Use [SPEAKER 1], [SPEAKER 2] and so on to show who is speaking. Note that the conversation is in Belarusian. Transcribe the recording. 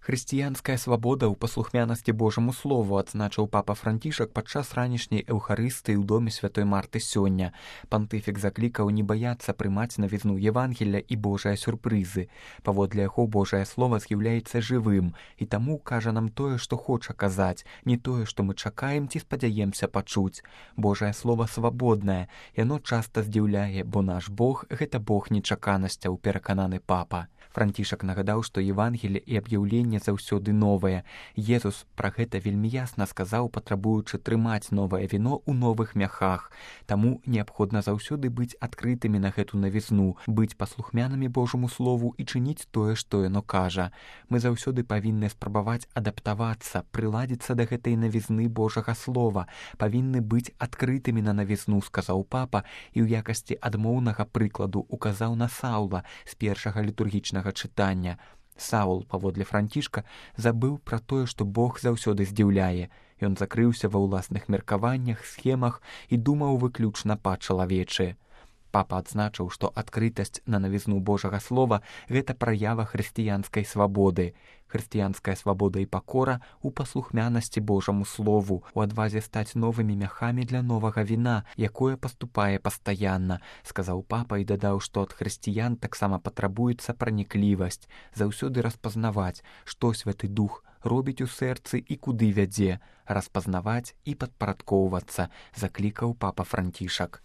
[SPEAKER 1] Хрысціянская свабода ў паслухмянасці Божаму слову, адзначыў папа Францішак падчас ранішняй эўхарыстыі ў доме святой Марты сёння. Пантыфік заклікаў не баяцца прымаць навізну Евангелля і Божыя сюрпрызы. Паводле яго Божае слова з'яўляецца жывым, і таму кажа нам тое, што хоча казаць, не тое, што мы чакаем ці спадзяемся пачуць. Божае слова свабоднае, яно часта здзіўляе, бо наш Бог — гэта Бог нечаканасцяў, перакананы папа. Францішак нагадаў, што Евангелле і аб'яўленне заўсёды новае. Езус пра гэта вельмі ясна сказаў, патрабуючы трымаць новае віно ў новых мяхах. Таму неабходна заўсёды быць адкрытымі на гэту навізну, быць паслухмянымі Божаму слову і чыніць тое, што яно кажа. Мы заўсёды павінны спрабаваць адаптавацца, прыладзіцца да гэтай навізны Божага слова, павінны быць адкрытымі на навізну, сказаў папа, і ў якасці адмоўнага прыкладу указаў на Саўла з першага літургічнага чытання. Саул, паводле Францішка, забыў пра тое, што Бог заўсёды здзіўляе. Ён закрыўся ва ўласных меркаваннях, схемах і думаў выключна па-чалавечы. Папа адзначыў, што адкрытасць на навізну Божага слова — гэта праява хрысціянскай свабоды. Хрысціянская свабода і пакора ў паслухмянасці Божаму слову, у адвазе стаць новымі мяхамі для новага віна, якое паступае пастаянна, сказаў папа і дадаў, што ад хрысціян таксама патрабуецца праніклівасць, заўсёды распазнаваць, што Святы Дух робіць у сэрцы і куды вядзе, распазнаваць і падпарадкоўвацца, заклікаў папа Францішак.